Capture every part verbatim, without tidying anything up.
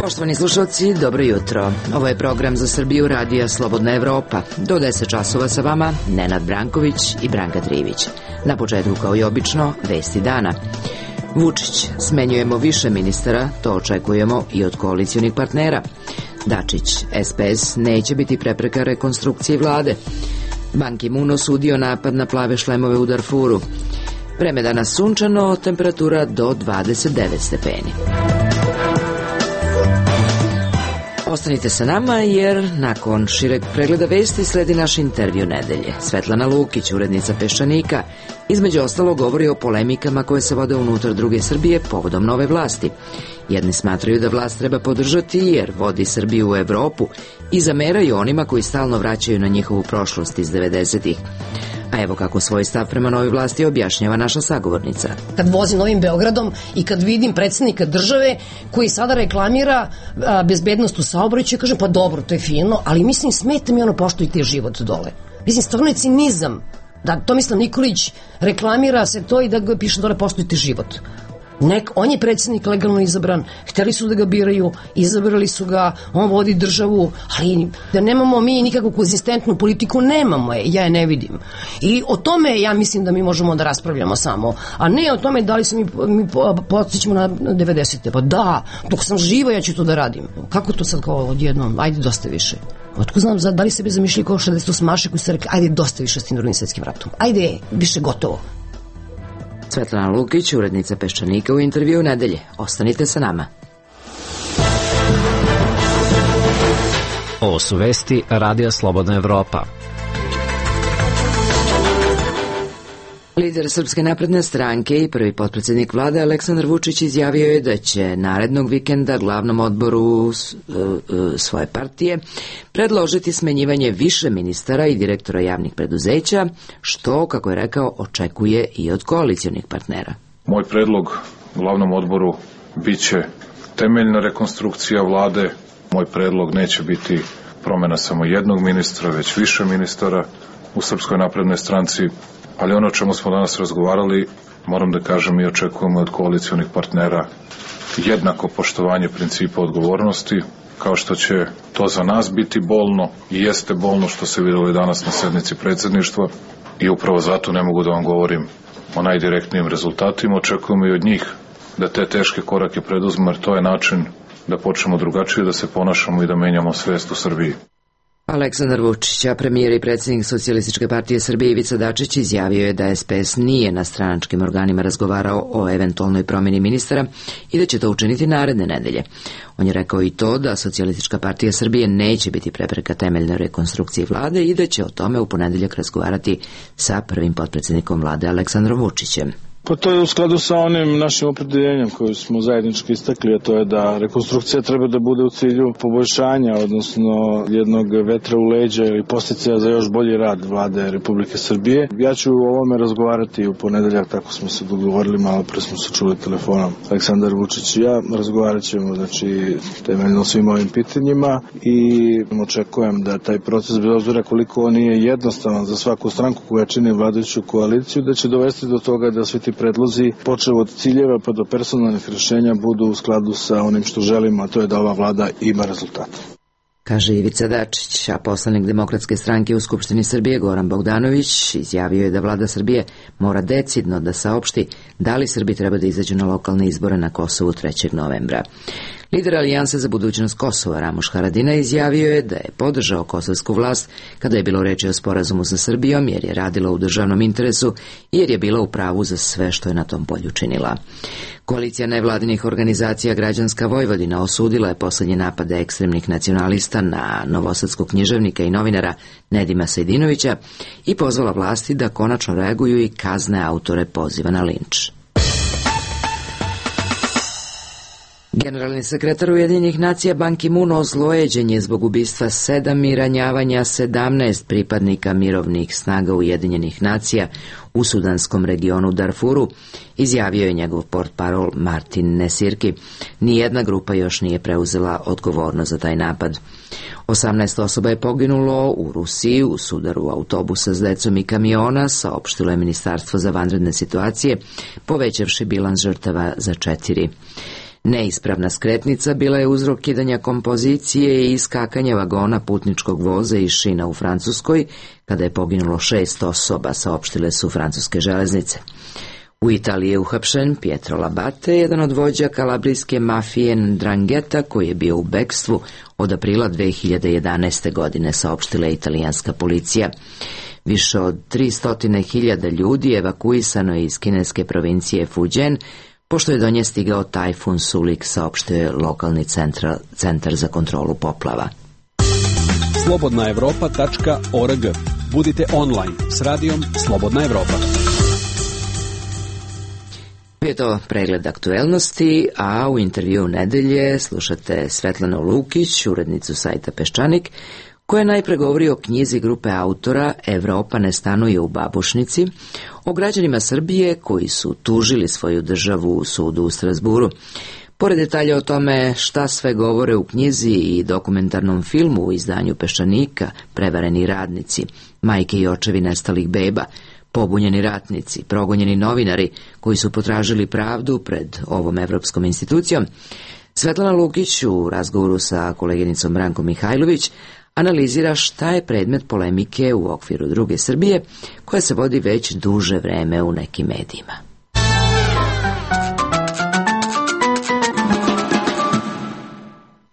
Poštovani slušalci, dobro jutro. Ovo je program za Srbiju Radija Slobodna Evropa. Do deset časova sa vama Nenad Branković i Branka Trivić. Na početku, kao i obično, vesti dana. Vučić: smenjujemo više ministara, to očekujemo i od koalicionih partnera. Dačić: S P S neće biti prepreka rekonstrukcije vlade. Ban Ki-moon osudio napad na plave šlemove u Darfuru. Vreme danas sunčano, temperatura do dvadeset devet stepeni. Ostanite sa nama jer nakon šireg pregleda vesti sledi naš intervju nedelje. Svetlana Lukić, urednica Peščanika, između ostalo govori o polemikama koje se vode unutar druge Srbije povodom nove vlasti. Jedni smatraju da vlast treba podržati jer vodi Srbiju u Evropu i zameraju onima koji stalno vraćaju na njihovu prošlost iz devedesetih. A evo kako svoj stav prema novoj vlasti objašnjava naša sagovornica. Kad vozim Novim Beogradom i kad vidim predsjednika države koji sada reklamira a, bezbednost u saobraćaju, kažem pa dobro, to je fino, ali mislim smeta mi ono poštujte život dole. Mislim, stvarno je cinizam da Tomislav Nikolić reklamira se to i da ga piše dole poštujte život. Nek, on je predsjednik legalno izabran, hteli su da ga biraju, izabrali su ga, on vodi državu, ali da nemamo mi nikakvu konzistentnu politiku, nemamo je, ja je ne vidim. I o tome ja mislim da mi možemo da raspravljamo samo, a ne o tome da li se mi, mi podsjećamo na devedesete. Pa da, dok sam živa ja ću to da radim. Kako to sad kao odjednom, ajde dosta više. Otko znam, da li se bi zamišljali kao šezdeset osmaše koji su rekli, ajde dosta više s tim drugim svetskim ratom, ajde više gotovo. Svetlana Lukić, urednica Peščanika, u intervju nedelje. Ostanite sa nama. Ovo su vesti Radija Slobodna Evropa. Lider Srpske napredne stranke i prvi potpredsjednik vlade Aleksandar Vučić izjavio je da će narednog vikenda glavnom odboru svoje partije predložiti smenjivanje više ministara i direktora javnih preduzeća, što, kako je rekao, očekuje i od koalicionih partnera. Moj predlog glavnom odboru biće temeljna rekonstrukcija vlade. Moj predlog neće biti promjena samo jednog ministra, već više ministara u Srpskoj naprednoj stranci. Ali ono o čemu smo danas razgovarali, moram da kažem i očekujemo od koalicionih partnera jednako poštovanje principa odgovornosti, kao što će to za nas biti bolno i jeste bolno što se vidjelo i danas na sednici predsjedništva i upravo zato ne mogu da vam govorim o najdirektnijim rezultatima. Očekujemo i od njih da te teške korake preduzmu, jer to je način da počnemo drugačije da se ponašamo i da menjamo svest u Srbiji. Aleksandar Vučić, a premijer i predsjednik Socijalističke partije Srbije Ivica Dačić, izjavio je da S P S nije na stranačkim organima razgovarao o eventualnoj promjeni ministara i da će to učiniti naredne nedelje. On je rekao i to da Socijalistička partija Srbije neće biti prepreka temeljnoj rekonstrukciji vlade i da će o tome u ponedeljak razgovarati sa prvim potpredsjednikom vlade Aleksandrom Vučićem. Pa to je u skladu sa onim našim opredeljenjem koje smo zajednički istakli, a to je da rekonstrukcija treba da bude u cilju poboljšanja, odnosno jednog vetra u leđa ili podsticaja za još bolji rad vlade Republike Srbije. Ja ću o ovome razgovarati u ponedeljak, tako smo se dogovorili, malo pre smo se čuli telefonom Aleksandar Vučić i ja. Razgovarat ćemo, znači, temeljno svim ovim pitanjima i očekujem da taj proces, bez obzira koliko on nije jednostavan za svaku stranku koja čini vladajuću koaliciju, da će dovesti do toga da svi ti predlozi, počev od ciljeva pa do personalnih rješenja, budu u skladu sa onim što želimo, a to je da ova vlada ima rezultate. Kaže Ivica Dačić, a poslanik Demokratske stranke u Skupštini Srbije Goran Bogdanović izjavio je da vlada Srbije mora decidno da saopšti da li Srbi treba da izađu na lokalne izbore na Kosovu trećeg novembra. Lider Alijanse za budućnost Kosova Ramuš Haradinaj izjavio je da je podržao kosovsku vlast kada je bilo reči o sporazumu sa Srbijom, jer je radila u državnom interesu i jer je bila u pravu za sve što je na tom polju činila. Koalicija nevladinih organizacija Građanska Vojvodina osudila je posljednje napade ekstremnih nacionalista na novosadskog književnika i novinara Nedima Sejdinovića i pozvala vlasti da konačno reaguju i kazne autore poziva na linč. Generalni sekretar Ujedinjenih nacija Ban Ki-moon ozlojeđen je zbog ubistva sedam i ranjavanja sedamnaest pripadnika mirovnih snaga Ujedinjenih nacija u sudanskom regionu Darfuru, izjavio je njegov portparol Martin Nesirki. Nijedna grupa još nije preuzela odgovornost za taj napad. osamnaest osoba je poginulo u Rusiji u sudaru autobusa s decom i kamiona, saopštilo je Ministarstvo za vanredne situacije, povećavši bilans žrtava za četiri. Neispravna skretnica bila je uzrok kidanja kompozicije i iskakanja vagona putničkog voza iz šina u Francuskoj, kada je poginulo šest osoba, saopštile su francuske železnice. U Italiji je uhapšen Pietro Labate, jedan od vođa kalabrijske mafije Ndrangheta, koji je bio u bekstvu od aprila dve hiljade jedanaeste. godine, saopštila je italijanska policija. Više od tristo hiljada ljudi evakuisano je iz kineske provincije Fujian, pošto je do nje stigao tajfun Sulik, saopštio je lokalni centra, centar za kontrolu poplava. slobodna evropa tačka org. Budite online s radijom Slobodna Evropa. Je to pregled aktuelnosti, a u intervju nedelje slušate Svetlanu Lukić, urednicu sajta Peščanik, koja najpre govori o knjizi grupe autora Evropa ne stanuje u Babušnici, o građanima Srbije koji su tužili svoju državu u sudu u Strazburu. Pored detalja o tome šta sve govore u knjizi i dokumentarnom filmu u izdanju Peščanika, Prevareni radnici, majke i očevi nestalih beba, pobunjeni ratnici, progonjeni novinari koji su potražili pravdu pred ovom evropskom institucijom, Svetlana Lukić u razgovoru sa koleginicom Brankom Mihajlović analizira šta je predmet polemike u okviru druge Srbije, koja se vodi već duže vreme u nekim medijima.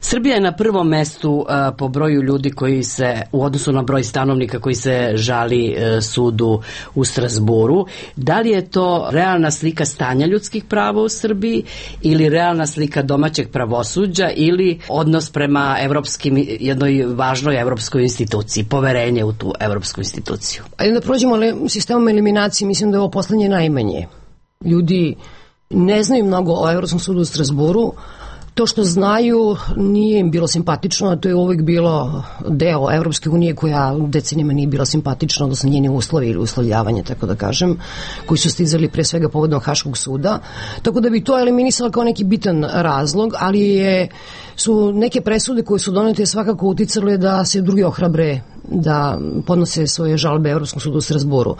Srbija je na prvom mestu a, po broju ljudi koji se, u odnosu na broj stanovnika koji se žali a, sudu u Strazburu. Da li je to realna slika stanja ljudskih prava u Srbiji ili realna slika domaćeg pravosuđa ili odnos prema evropskim, jednoj važnoj evropskoj instituciji, poverenje u tu evropsku instituciju? Ajde da prođemo sistemom eliminacije, mislim da je ovo poslednje najmanje. Ljudi ne znaju mnogo o Evropskom sudu u Strazburu. To što znaju nije im bilo simpatično, a to je uvijek bilo deo Evropske unije koja decenijama nije bila simpatična, odnosno njeni uslovi ili uslovljavanje, tako da kažem, koji su stizali pre svega povodom Haškog suda. Tako da bi to eliminisalo kao neki bitan razlog, ali je, su neke presude koje su donete svakako uticale da se drugi ohrabre da podnose svoje žalbe Evropskom sudu u Strazburu.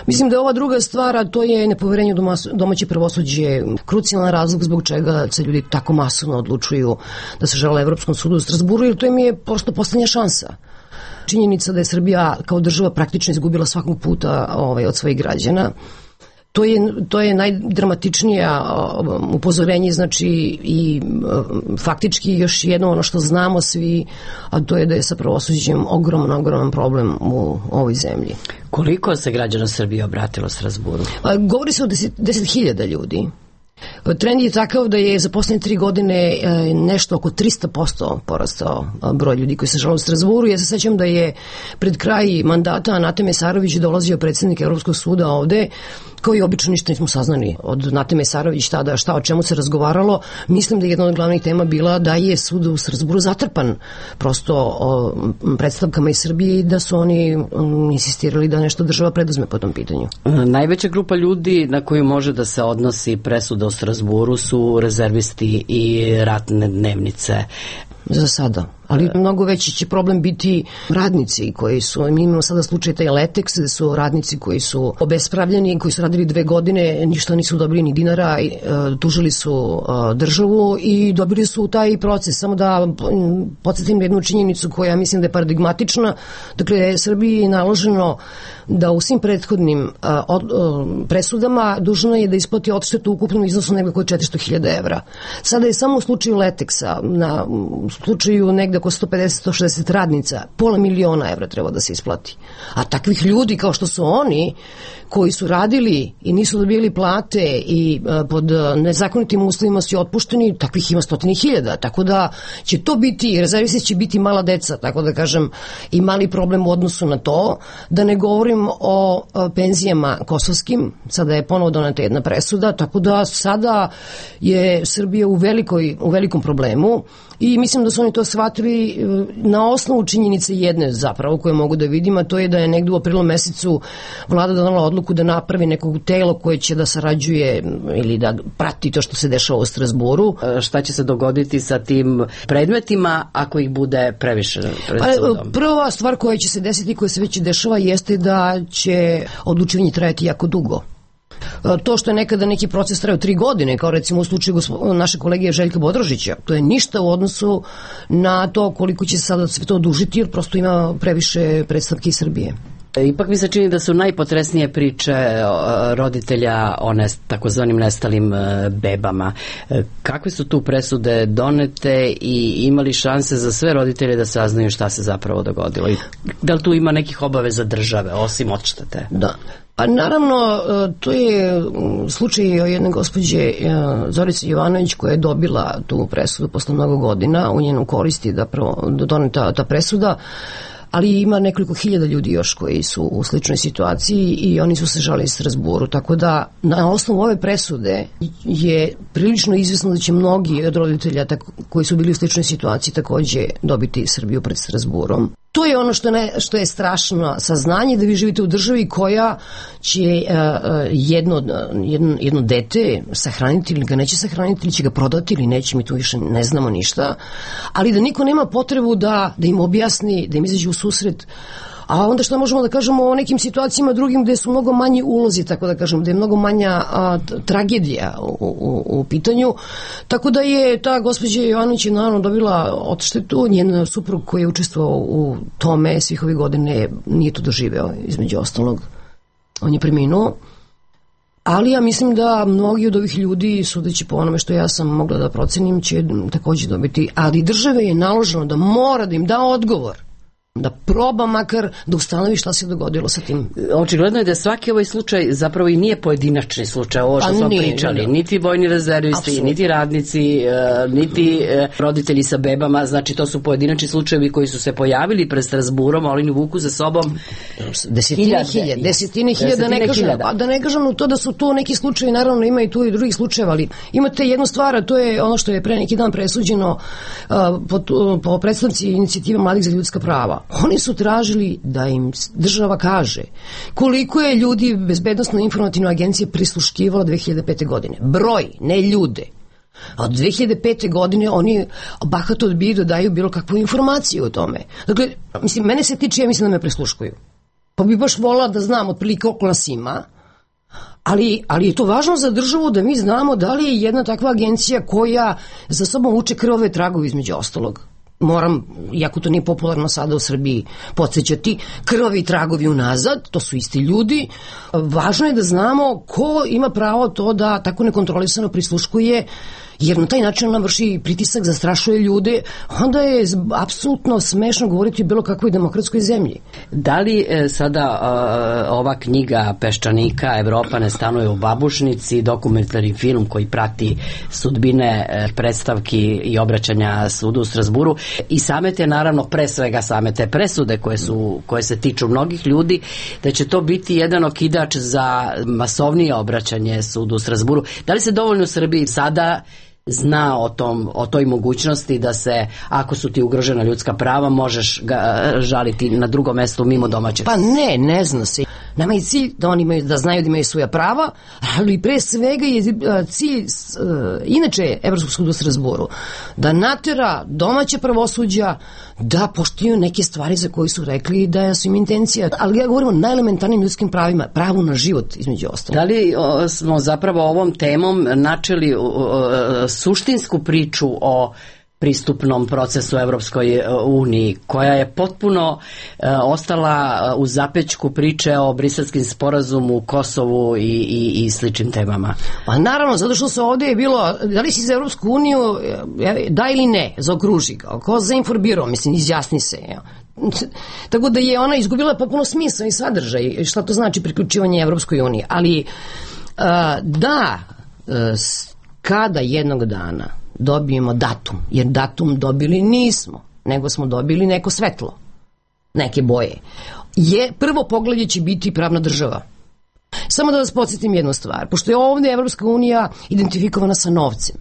Mislim da je ova druga stvar, a to je nepoverenje u domaće pravosuđe, krucijalan razlog zbog čega se ljudi tako masovno odlučuju da se žale Evropskom sudu u Strazburu, jer to im je prosto poslednja šansa. Činjenica da je Srbija kao država praktično izgubila svakog puta ovaj, od svojih građana. To je, to je najdramatičnija upozorenje, znači i faktički još jedno ono što znamo svi, a to je da je sa pravosuđem ogroman, ogroman problem u ovoj zemlji. Koliko se građana Srbije obratilo Strazburu? Govori se o deset hiljada ljudi. Trend je takav da je za poslednje tri godine nešto oko tristo posto porastao broj ljudi koji se žale u Strazburu. Ja se sećam da je pred kraj mandata Nate Mesarović dolazio predsjednik Evropskog suda ovde, koji obično ništa nismo saznali od Nate Mesarović tada šta o čemu se razgovaralo. Mislim da je jedna od glavnih tema bila da je sud u Strazburu zatrpan prosto o predstavkama iz Srbije i da su oni um, insistirali da nešto država preduzme po tom pitanju. Najveća grupa ljudi na koju može da se odnosi presuda u Strazburu su rezervisti i ratne dnevnice. Za sada. Ali mnogo veći će problem biti radnici koji su, mi imamo sada slučaj taj Letex, gde su radnici koji su obespravljeni, koji su radili dve godine, ništa nisu dobili ni dinara, e, tužili su e, državu i dobili su taj proces. Samo da podsjetim jednu činjenicu koja mislim da je paradigmatična. Dakle, Srbiji je naloženo da u svim prethodnim a, od, a, presudama dužna je da isplati odštetu u ukupnom iznosu negde oko četiristo hiljada evra. Sada je samo u slučaju Letexa, na u slučaju negde oko sto pedeset do sto šezdeset radnica, pola miliona evra treba da se isplati. A takvih ljudi kao što su oni, koji su radili i nisu dobili plate i a, pod nezakonitim uslovima su otpušteni, takvih ima stotine hiljada. Tako da će to biti, rezervisti će biti mala deca, tako da kažem, i mali problem u odnosu na to, da ne govorim o penzijama kosovskim. Sada je ponovo doneta jedna presuda, tako da sada je Srbija u, velikoj, u velikom problemu i mislim da su oni to shvatili na osnovu činjenice jedne zapravo koje mogu da vidim, a to je da je negde u aprilu mesecu vlada donala odluku da napravi nekog telo koje će da sarađuje ili da prati to što se dešava u Strazburu. Šta će se dogoditi sa tim predmetima ako ih bude previše pred sudom? Prva stvar koja će se desiti, koja se već dešava, jeste da će odlučivanje trajati jako dugo. To što je nekada neki proces trajao tri godine, kao recimo u slučaju naše kolege Željka Bodrožića, to je ništa u odnosu na to koliko će se sada sve to odužiti, jer prosto ima previše predstavke iz Srbije. Ipak mi se čini da su najpotresnije priče roditelja o nest, takozvanim nestalim bebama. Kakve su tu presude donete i imali šanse za sve roditelje da saznaju šta se zapravo dogodilo? I da li tu ima nekih obaveza države, osim odštete? Da. Pa naravno, to je slučaj jedne gospođe Zorice Jovanović koja je dobila tu presudu posle mnogo godina, u njenu koristi da doneta ta presuda, ali ima nekoliko hiljada ljudi još koji su u sličnoj situaciji i oni su se žalili Strazburu, tako da na osnovu ove presude je prilično izvesno da će mnogi od roditelja koji su bili u sličnoj situaciji takođe dobiti Srbiju pred Strazburom. To je ono što, ne, što je strašno saznanje, da vi živite u državi koja će uh, jedno, jedno, jedno dete sahraniti ili ga neće sahraniti ili će ga prodati ili neće, mi tu više ne znamo ništa, ali da niko nema potrebu da, da im objasni, da im izađe u susret. A onda što možemo da kažemo o nekim situacijama drugim gde su mnogo manji ulozi, tako da kažem, gde je mnogo manja a, tragedija u, u, u pitanju. Tako da je ta gospođa Jovanović naravno dobila odštetu, njen suprug koji je učestvovao u tome svih ovih godine nije to doživeo, između ostalog. On je preminuo. Ali ja mislim da mnogi od ovih ljudi, sudeći po onome što ja sam mogla da procenim, će takođe dobiti. Ali države je naloženo da mora da im da odgovor, da proba makar da ustanovi šta se dogodilo sa tim. Očigledno je da svaki ovaj slučaj zapravo i nije pojedinačni slučaj, ovo što smo pričali, niti vojni rezervisti, Absolut. niti radnici, niti roditelji sa bebama, znači to su pojedinačni slučajevi koji su se pojavili pred Strazburom, ali oni vuku za sobom desetine hiljada, desetine hiljada, ne kažem, a da ne kažem u to da su to neki slučajevi, naravno ima i tu i drugih slučajeva, ali imate jednu stvar, a to je ono što je pre neki dan presuđeno uh, po, po predstavnici inicijative Mladih za ljudska prava. Oni su tražili da im država kaže koliko je ljudi Bezbednosno-informativne agencije prisluškivalo dve hiljade pete. godine. Broj, ne ljude. A od dve hiljade pete. godine oni bahato odbiju da daju bilo kakvu informaciju o tome. Dakle, mislim, mene se tiče, ja mislim da me prisluškuju. Pa bi baš volala da znam otprilike koliko nas ima, ali, ali je to važno za državu da mi znamo da li je jedna takva agencija koja za sobom vuče krvave tragovi između ostalog. Moram, iako to nije popularno sada u Srbiji, podsjećati, krvavi tragovi unazad, to su isti ljudi. Važno je da znamo ko ima pravo to da tako nekontrolisano prisluškuje, jer na taj način ona vrši pritisak, zastrašuje ljude, onda je apsolutno smešno govoriti o bilo kakvoj demokratskoj zemlji. Da li e, sada e, ova knjiga Peščanika Evropa ne stanuje u babušnici, dokumentarni film koji prati sudbine e, predstavki i obraćanja sudu u Strazburu i same te, naravno, pre svega same te presude koje, su, koje se tiču mnogih ljudi, da će to biti jedan okidač za masovnije obraćanje sudu u Strazburu. Da li se dovoljno u Srbiji sada zna o, tom, o toj mogućnosti da se, ako su ti ugrožena ljudska prava, možeš ga žaliti na drugom mestu mimo domaćeg? Pa ne, ne zna se. Nama je cilj da oni imaju, da znaju da imaju svoja prava, ali pre svega je cilj inače Evropskog suda u Strazburu da natera domaće pravosuđa da poštuju neke stvari za koje su rekli da su im intencija. Ali ja govorim o najelementarnim ljudskim pravima, pravu na život između ostalog. Da li o, smo zapravo ovom temom načeli o, o, suštinsku priču o pristupnom procesu Evropskoj uniji, koja je potpuno e, ostala u zapećku priče o Briselskim sporazumu, Kosovu i, i, i sličnim temama? Pa naravno, zato što se ovdje je bilo, da li si za Evropsku uniju, da ili ne, zaokruži ga, ko za informirao, mislim, izjasni se, ja. Tako da je ona izgubila popuno smisao i sadržaj, šta to znači priključivanje Evropskoj uniji, ali a, da, a, kada jednog dana dobijemo datum, jer datum dobili nismo, nego smo dobili neko svetlo, neke boje, je prvo poglavlje će biti pravna država. Samo da vas podsjetim jednu stvar, pošto je ovdje Evropska unija identifikovana sa novcem,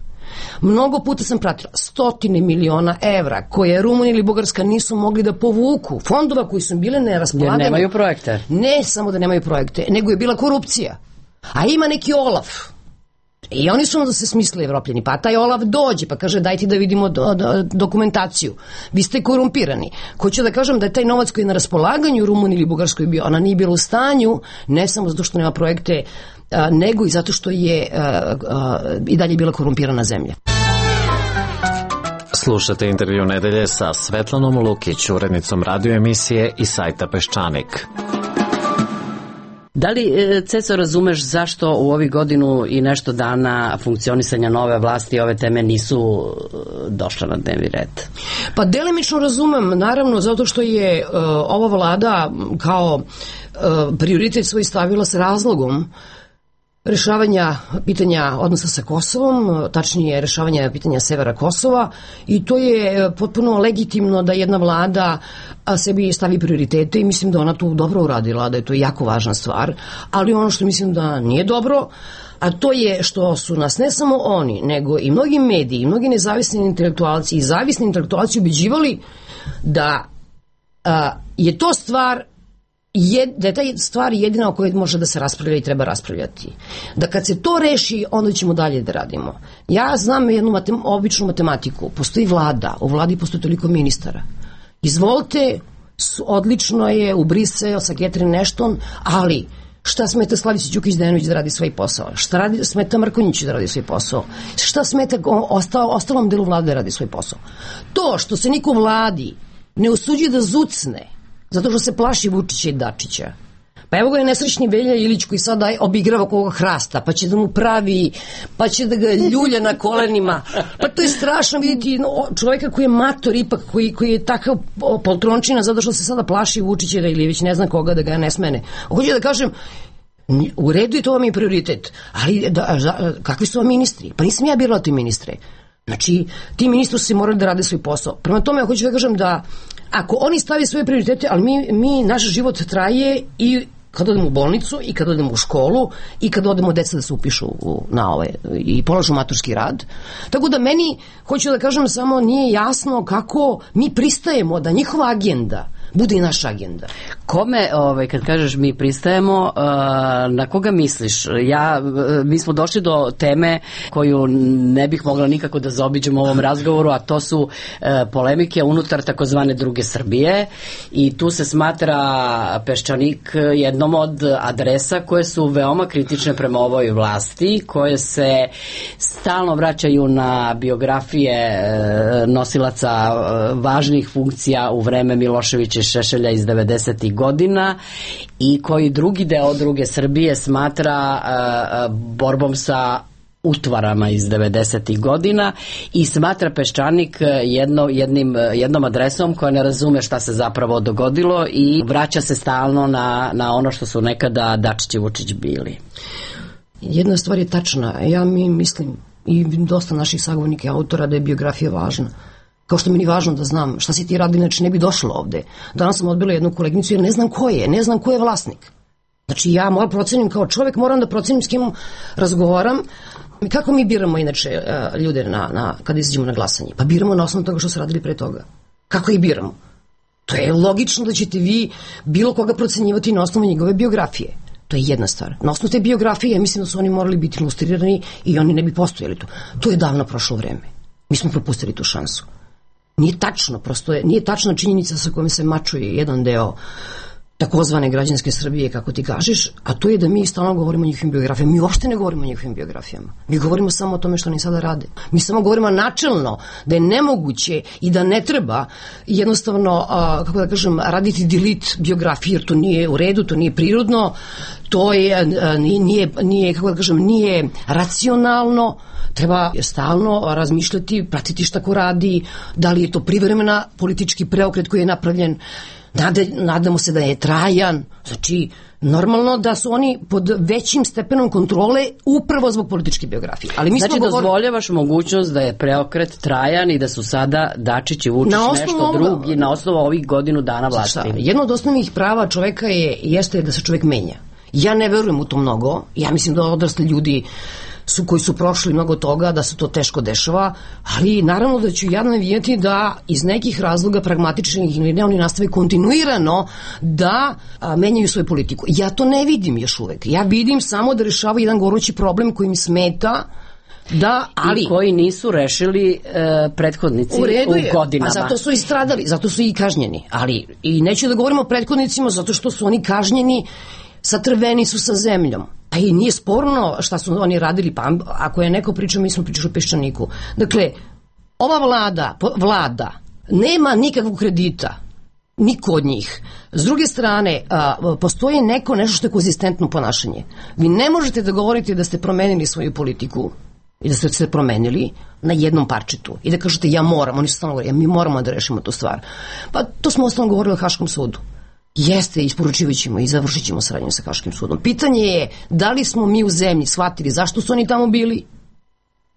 Mnogo puta sam pratila stotine miliona evra koje Rumunija ili Bugarska nisu mogli da povuku, fondova koji su bile neraspolagane. Jer nemaju projekte. Ne samo da nemaju projekte, nego je bila korupcija. A ima neki Olaf. I oni su onda se smislili Evropljani, pa taj Olaf dođe pa kaže dajte da vidimo do, do, dokumentaciju, vi ste korumpirani. Hoću da kažem da je taj novac koji je na raspolaganju Rumuniji ili Bugarskoj bio, ona nije bila u stanju, ne samo zato što nema projekte, a, nego i zato što je a, a, i dalje bila korumpirana zemlja. Slušate intervju nedelje sa Svetlanom Lukić, urednicom radio emisije i sajta Peščanik. Da li, Ceco, razumeš zašto u ovih godinu i nešto dana funkcionisanja nove vlasti ove teme nisu došle na dnevni red? Pa delimično razumem, naravno, zato što je uh, ova vlada kao uh, prioritet svoj stavila s razlogom rešavanja pitanja odnosa sa Kosovom, tačnije rešavanja pitanja severa Kosova, i to je potpuno legitimno da jedna vlada sebi stavi prioritete i mislim da ona tu dobro uradila, da je to jako važna stvar, ali ono što mislim da nije dobro, a to je što su nas ne samo oni, nego i mnogi mediji, i mnogi nezavisni intelektualci i zavisni intelektualci ubeđivali da a, je to stvar Je, da je ta stvar jedina o kojoj može da se raspravlja i treba raspravljati. Da kad se to reši, onda ćemo dalje da radimo. Ja znam jednu matem, običnu matematiku. Postoji vlada, u vladi postoji toliko ministara. Izvolite, odlično je u Brisel sa Catherine Ashton, ali šta smeta Slavici Đukić-Dejanović da radi svoj posao? Šta radi, smeta Mrkonjiću da radi svoj posao? Šta smeta ostalo, ostalom delu vlade da radi svoj posao? To što se niko u vladi ne usuđuje da zucne zato što se plaši Vučića i Dačića. Pa evo ga je nesrećni Velja Ilić koji sada obigrava koga hrasta, pa će da mu pravi, pa će da ga ljulja na kolenima. Pa to je strašno vidjeti čovjeka koji je mator ipak, koji, koji je takav poltrončina zato što se sada plaši Vučića ili već ne znam koga da ga ne smene. Hoću da kažem, u redu je to vam je prioritet, ali da, da, kakvi su vam ministri? Pa nisam ja birala te ministre. Znači, ti ministri su se morali da rade svoj posao. Prema tome, ja hoću da kažem da ako oni stavi svoje prioritete, ali mi, mi naš život traje i kad odemo u bolnicu, i kad odemo u školu, i kad odemo deca da se upišu u, na ove, i polažu maturski rad. Tako da meni, hoću da kažem, samo nije jasno kako mi pristajemo da njihova agenda bude i naša agenda. Kome, ovaj, kad kažeš mi pristajemo, na koga misliš? Ja, mi smo došli do teme koju ne bih mogla nikako da zaobiđem u ovom razgovoru, a to su polemike unutar takozvane druge Srbije, i tu se smatra Peščanik jednom od adresa koje su veoma kritične prema ovoj vlasti, koje se stalno vraćaju na biografije nosilaca važnih funkcija u vreme Miloševića i Šešelja iz devedesetih godina, i koji drugi deo druge Srbije smatra uh, borbom sa utvarama iz devedesetih godina i smatra Peščanik jedno, jednim, jednom adresom koja ne razume šta se zapravo dogodilo i vraća se stalno na, na ono što su nekada Dačić i Vučić bili. Jedna stvar je tačna. Ja mi mislim i dosta naših sagovornika i autora da je biografija važna. Kao što mi je važno da znam šta si ti radili, znači ne bi došlo ovde. Danas sam odbila jednu koleginicu jer ne znam ko je, ne znam ko je vlasnik. Znači ja moram procenim kao čovjek, moram da procenim s kim razgovaram. Kako mi biramo inače ljude na, na, kada izađemo na glasanje? Pa biramo na osnovu toga što su radili pre toga. Kako ih biramo? To je logično da ćete vi bilo koga procenjivati na osnovu njegove biografije. To je jedna stvar. Na osnovu te biografije mislim da su oni morali biti ilustrirani i oni ne bi postojali tu. To je davno prošlo vreme. Mi smo propustili tu šansu. Nije tačno, prosto je, nije tačna činjenica sa kojom se mačuje jedan deo takozvane građanske Srbije, kako ti kažeš, a to je da mi stalno govorimo o njihovim biografijama. Mi uopšte ne govorimo o njihovim biografijama. Mi govorimo samo o tome što oni sada rade. Mi samo govorimo načelno da je nemoguće i da ne treba jednostavno, a, kako da kažem, raditi delete biografije, jer to nije u redu, to nije prirodno, to je, a, nije, nije, kako da kažem, nije racionalno. Treba stalno razmišljati, pratiti šta ko radi, da li je to privremena politički preokret koji je napravljen. Nade, nadamo se da je trajan, znači normalno da su oni pod većim stepenom kontrole upravo zbog političke biografije. Ali mi znači smo govor... dozvoljavaš mogućnost da je preokret trajan i da su sada Dačić i Vučić nešto ovoga... drugi na osnovu ovih godinu dana vlasti. Jedno od osnovnih prava čoveka je, jeste da se čovek menja. Ja ne verujem u to mnogo, ja mislim da odrasli ljudi su, koji su prošli mnogo toga, da se to teško dešava, ali naravno da ću ja navijeti da iz nekih razloga pragmatičnih ili ne, oni nastave kontinuirano da a, menjaju svoju politiku. Ja to ne vidim još uvek. Ja vidim samo da rešavaju jedan gorući problem koji mi smeta, da, ali i koji nisu rešili e, prethodnici u, redu je, u godinama. A zato su i stradali, zato su i kažnjeni. Ali i neću da govorimo o prethodnicima zato što su oni kažnjeni, satrveni su sa zemljom. A i nije sporno šta su oni radili, pa ako je neko pričao, mi smo pričali o Peščaniku. Dakle, ova vlada, vlada nema nikakvog kredita, niko od njih. S druge strane, a, postoji neko nešto što je konzistentno ponašanje. Vi ne možete da govorite da ste promenili svoju politiku i da ste se promenili na jednom parčetu i da kažete ja moram, oni su stalno govorili, mi moramo da rešimo tu stvar. Pa to smo osnovno govorili o Haškom sudu. Jeste, isporučivat ćemo i završit ćemo saradnju sa Haškim sudom. Pitanje je da li smo mi u zemlji shvatili zašto su oni tamo bili,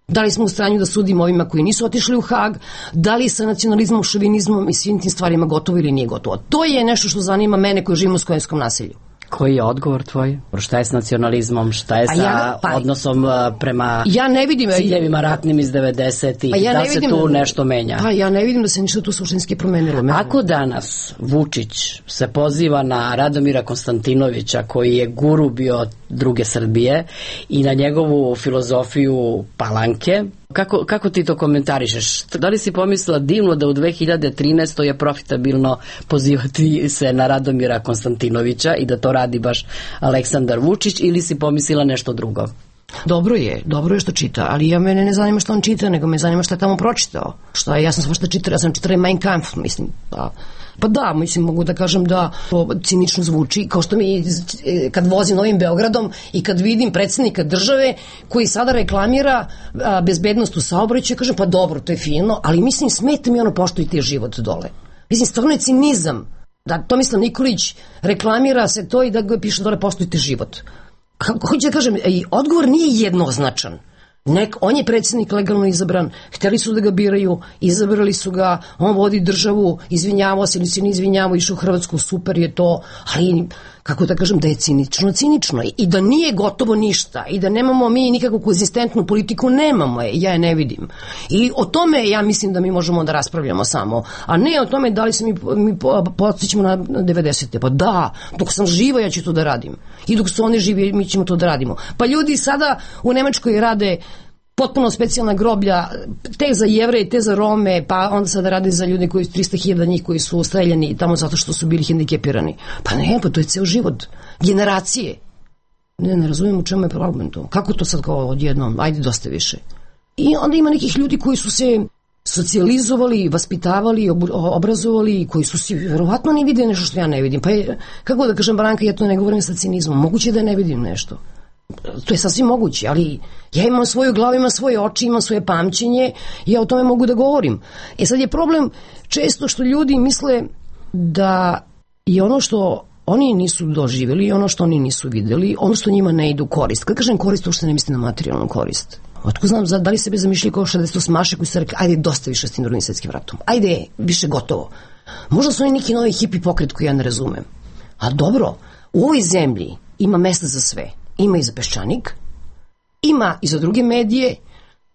da li smo u stanju da sudimo ovima koji nisu otišli u Hag, da li sa nacionalizmom, šovinizmom i svim tim stvarima gotovo ili nije gotovo. To je nešto što zanima mene koji živim u skojenskom naselju. Koji je odgovor tvoj? Šta je s nacionalizmom? Šta je sa ja, pa, odnosom prema ja ne vidim, ciljevima ratnim iz devedesetih? Pa ja da se tu da, nešto menja? Pa ja ne vidim da se ništa tu suštinski promenilo. Ako danas Vučić se poziva na Radomira Konstantinovića, koji je guru bio druge Srbije, i na njegovu filozofiju Palanke, Kako, kako ti to komentarišeš? Da li si pomislila divno da u dve hiljade trinaestoj je profitabilno pozivati se na Radomira Konstantinovića i da to radi baš Aleksandar Vučić, ili si pomislila nešto drugo? Dobro je, dobro je što čita, ali ja mene ne zanima što on čita, nego me zanima što je tamo pročitao. Šta je, ja sam svašta čitala, ja sam čitala Mein Kampf, mislim, pa... Pa da, mislim, mogu da kažem da to cinično zvuči, kao što mi kad vozim Novim Beogradom i kad vidim predsjednika države koji sada reklamira a, bezbednost u saobraćaju, kažem pa dobro, to je fino, ali mislim smeta mi ono poštujte život dole. Mislim, stvarno je cinizam da Tomislav Nikolić reklamira se to i da ga piše dole poštujte život. Kako hoću da kažem, i odgovor nije jednoznačan. Nek, on je predsjednik legalno izabran, hteli su da ga biraju, izabrali su ga, on vodi državu, izvinjavao se ili se ne izvinjavao, išao u Hrvatsku, super je to, ali kako da kažem da je cinično, cinično i da nije gotovo ništa i da nemamo mi nikakvu konzistentnu politiku, nemamo je, ja je ne vidim. I o tome ja mislim da mi možemo da raspravljamo samo, a ne o tome da li se mi, mi podsjećamo na devedesete. Pa da, dok sam živa ja ću to da radim i dok su oni živi mi ćemo to da radimo. Pa ljudi sada u Nemačkoj rade potpuno specijalna groblja, te za Jevreje, te za Rome, pa onda sada rade za ljude koji trista hiljada njih koji su streljani tamo zato što su bili hendikepirani. Pa ne, pa to je ceo život. Generacije. Ne, ne razumijem u čemu je problem to. Kako to sad kao odjednom? Ajde, dosta više. I onda ima nekih ljudi koji su se socijalizovali, vaspitavali, obrazovali, koji su si verovatno ne vide nešto što ja ne vidim. Pa je, kako da kažem, Branka, ja to ne govorim sa cinizmom. Moguće da ne vidim nešto. To je sasvim moguće, ali ja imam svoju glavu, imam svoje oči, imam svoje pamćenje i ja o tome mogu da govorim. E sad je problem često što ljudi misle da je ono što oni nisu doživjeli, ono što oni nisu videli, ono što njima ne ide u korist. Kad kažem korist, uopšte ne mislim na materijalnu korist. Otko znam, da li sebe zamišljali kao šezdeset osmaše koji su rekli, ajde, dosta više s tim drugim svetskim ratom. Ajde, više gotovo. Možda su oni neki novi hipi pokret koji ja ne razumem. A dobro, u ovoj zemlji ima mesta za sve. Ima i za Peščanik, ima i za druge medije.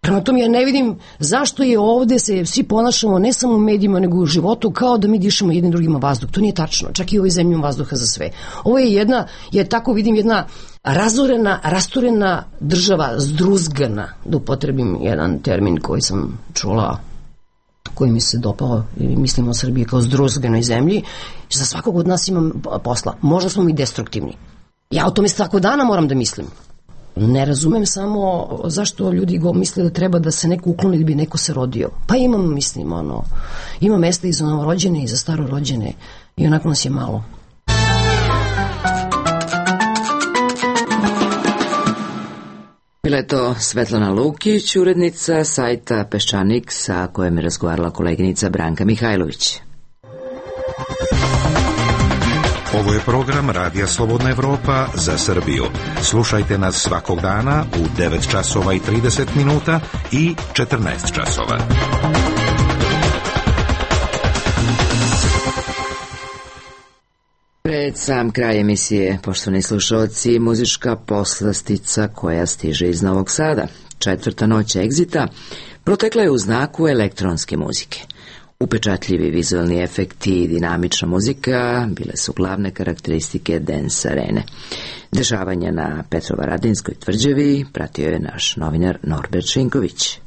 Prema tome ja ne vidim zašto je ovde se svi ponašamo ne samo u medijima nego u životu kao da mi dišemo jednim drugima vazduh. To nije tačno, čak i u ovoj zemlji ima vazduha za sve. Ovo je jedna, ja tako vidim, jedna razorena, rasturena država, zdruzgana, da upotrebim jedan termin koji sam čula, koji mi se dopao, ili mislimo o Srbiji kao zdruzganoj zemlji. Za svakog od nas imam posla. Možda smo mi destruktivni. Ja o tome svako dana moram da mislim. Ne razumem samo zašto ljudi go misle da treba da se neko ukloni da bi neko se rodio. Pa imam, mislim, ono, ima mesta i za novorođene i za starorođene i onako nas je malo. Bila je to Svetlana Lukić, urednica sajta Peščanik, sa kojom je razgovarala koleginica Branka Mihajlović. Ovo je program Radija Slobodna Evropa za Srbiju. Slušajte nas svakog dana u devet časova i trideset minuta i četrnaest časova. Pre Pred sam kraj emisije, poštovani slušalci, muzička poslastica koja stiže iz Novog Sada. Četvrta noć Exita protekla je u znaku elektronske muzike. Upečatljivi vizualni efekti i dinamična muzika bile su glavne karakteristike Dance Arene. Dešavanja na Petrovaradinskoj tvrđavi pratio je naš novinar Norbert Šinković.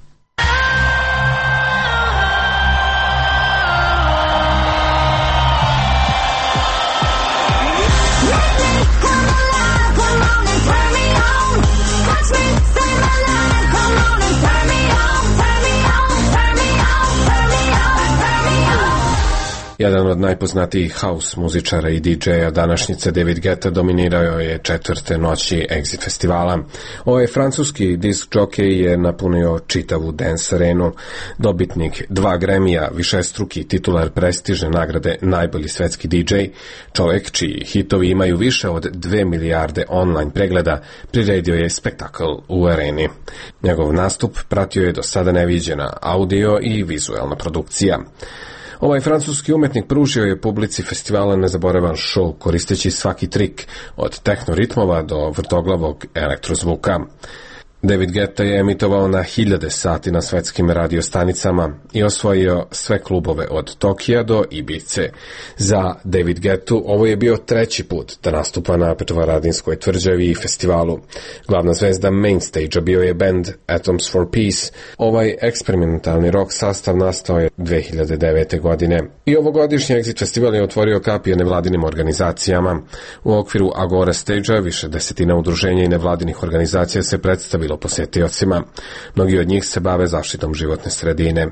Jedan od najpoznatijih house muzičara i di džeja današnjice, David Guetta, dominirao je četvrte noći Exit festivala. Ovaj francuski disk jockey je napunio čitavu Dance Arenu. Dobitnik dva Grammy-a, višestruki titular prestižne nagrade najbolji svetski di džej, čovjek čiji hitovi imaju više od dve milijarde online pregleda, priredio je spektakl u areni. Njegov nastup pratio je do sada neviđena audio i vizualna produkcija. Ovaj francuski umetnik pružio je publici festivala nezaboravan show koristeći svaki trik od tehnoritmova do vrtoglavog elektrozvuka. David Guetta je emitovao na hiljade sati na svetskim radiostanicama i osvojio sve klubove od Tokija do Ibice. Za David Guettu ovo je bio treći put da nastupa na Petrovaradinskoj tvrđavi i festivalu. Glavna zvezda main stage-a bio je band Atoms for Peace. Ovaj eksperimentalni rock sastav nastao je dve hiljade devete. godine. I ovogodišnji Exit festival je otvorio kapije nevladinim organizacijama. U okviru Agora stage-a više desetina udruženja i nevladinih organizacija se predstavilo posetiocima. Mnogi od njih se bave zaštitom životne sredine.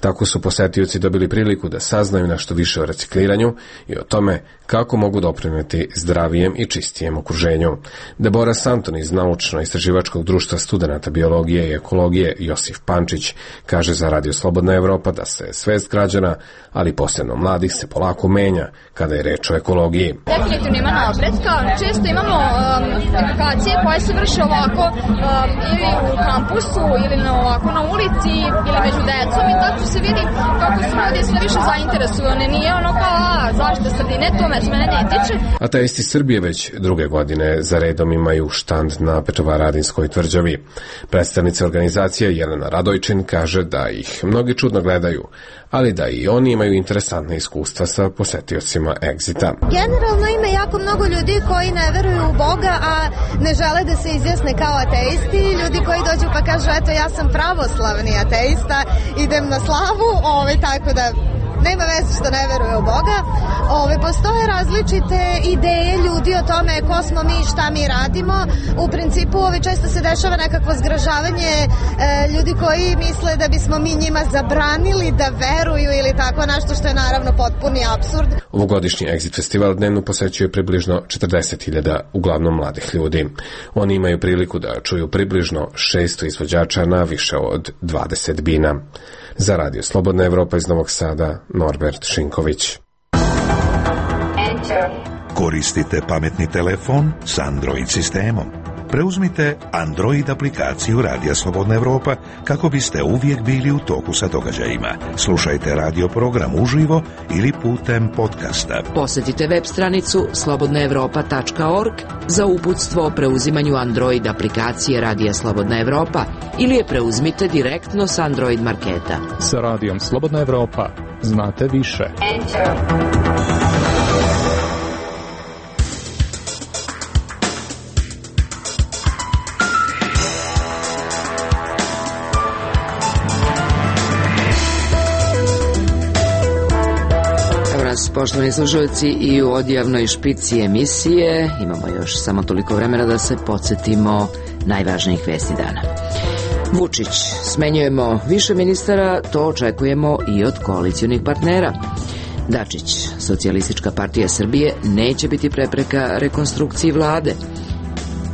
Tako su posetioci dobili priliku da saznaju nešto više o recikliranju i o tome kako mogu doprinijeti zdravijem i čistijem okruženju. Deborah Santon iz Naučno-istraživačkog društva studenata biologije i ekologije Josif Pančić kaže za Radio Slobodna Evropa da se svest građana, ali posebno mladih, se polako menja kada je reč o ekologiji. Definitivno ima napretka. Često imamo um, edukacije koje se vrše ovako um, ili u kampusu ili na, ovako na ulici ili među decom i tako se vidi kako su ljudi sve više zainteresovani. Nije ono kao, a, zaštita sredine, to me mene ne tiče. Ateisti Srbije već druge godine za redom imaju štand na Petrovaradinskoj tvrđavi. Predstavnica organizacije Jelena Radojčin kaže da ih mnogi čudno gledaju, ali da i oni imaju interesantne iskustva sa posetiocima Exita. Generalno ima jako mnogo ljudi koji ne veruju u Boga, a ne žele da se izjasne kao ateisti. Ljudi koji dođu pa kažu, eto, ja sam pravoslavni ateista, idem na slavu, ovaj, tako da nema veze što ne veruje u Boga. Ove, postoje različite ideje ljudi o tome ko smo mi i šta mi radimo. U principu ove, često se dešava nekakvo zgražavanje e, ljudi koji misle da bismo mi njima zabranili da veruju ili tako nešto, što je naravno potpuni apsurd. Ovogodišnji Exit festival dnevno posećuje približno četrdeset hiljada, uglavnom mladih ljudi. Oni imaju priliku da čuju približno šesto izvođača na više od dvadeset bina. Za Radio Slobodna Evropa iz Novog Sada, Norbert Šinković. Koristite pametni telefon s Android sistemom. Preuzmite Android aplikaciju Radija Slobodna Evropa kako biste uvijek bili u toku sa događajima. Slušajte radio program uživo ili putem podcasta. Posjetite web stranicu slobodna evropa tačka org za uputstvo o preuzimanju Android aplikacije Radija Slobodna Evropa ili je preuzmite direktno s Android marketa. Sa Radijom Slobodna Evropa znate više. Enter. Poštovani slušalci, i u odjavnoj špici emisije imamo još samo toliko vremena da se podsjetimo najvažnijih vesti dana. Vučić, smenjujemo više ministara, to očekujemo i od koalicionih partnera. Dačić, Socijalistička partija Srbije neće biti prepreka rekonstrukciji vlade.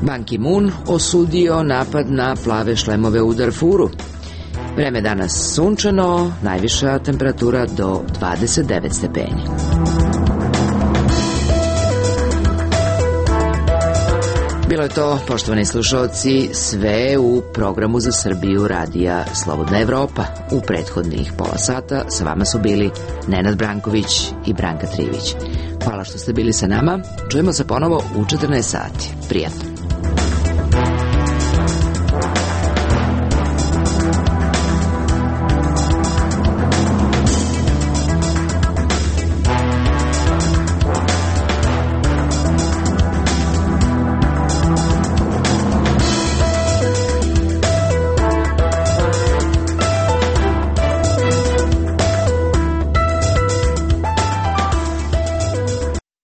Ban Ki-moon osudio napad na plave šlemove u Darfuru. Vreme danas sunčano, najviša temperatura do dvadeset devet stepeni. Bilo je to, poštovani slušalci, sve u programu za Srbiju Radija Slobodna Evropa. U prethodnih pola sata sa vama su bili Nenad Branković i Branka Trivić. Hvala što ste bili sa nama. Čujemo se ponovo u četrnaest sati. Prijatno.